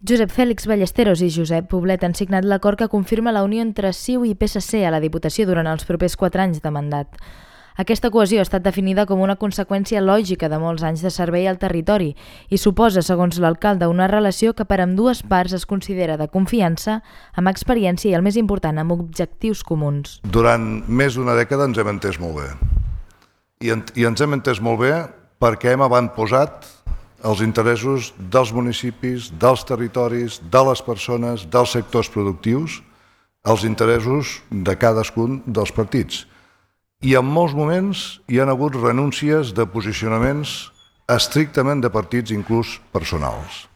Josep Fèlix Ballesteros i Josep Poblet han signat l'acord que confirma la unió entre CiU i PSC a la Diputació durant els propers 4 anys de mandat. Aquesta cohesió ha estat definida com una conseqüència lògica de molts anys de servei al territori i suposa, segons l'alcalde, una relació que per ambdues parts es considera de confiança, amb experiència i, el més important, amb objectius comuns. Durant més d'una dècada ens hem entès molt bé. I ens hem entès molt bé perquè hem avantposat els interessos dels municipis, dels territoris, de les persones, dels sectors productius, els interessos de cadascun dels partits. I en molts moments hi ha hagut renúncies de posicionaments estrictament de partits, inclús personals.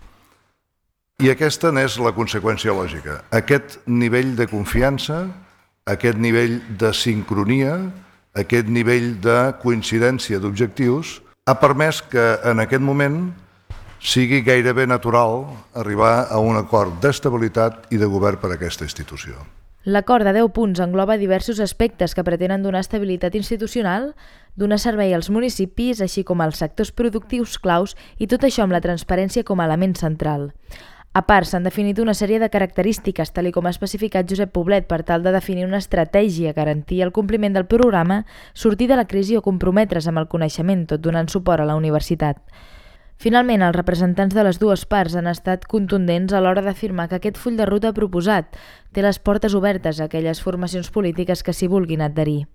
I aquesta n'és la conseqüència lògica. Aquest nivell de confiança, aquest nivell de sincronia, aquest nivell de coincidència d'objectius ha permès que en aquest moment sigui gairebé natural arribar a un acord d'estabilitat i de govern per a aquesta institució. L'acord de 10 punts engloba diversos aspectes que pretenen donar estabilitat institucional, donar servei als municipis, així com als sectors productius claus, i tot això amb la transparència com a element central. A part, s'han definit una sèrie de característiques, tal com ha especificat Josep Poblet, per tal de definir una estratègia, garantir el compliment del programa, sortir de la crisi o comprometre's amb el coneixement, tot donant suport a la universitat. Finalment, els representants de les dues parts han estat contundents a l'hora d'afirmar que aquest full de ruta proposat té les portes obertes a aquelles formacions polítiques que s'hi vulguin adherir.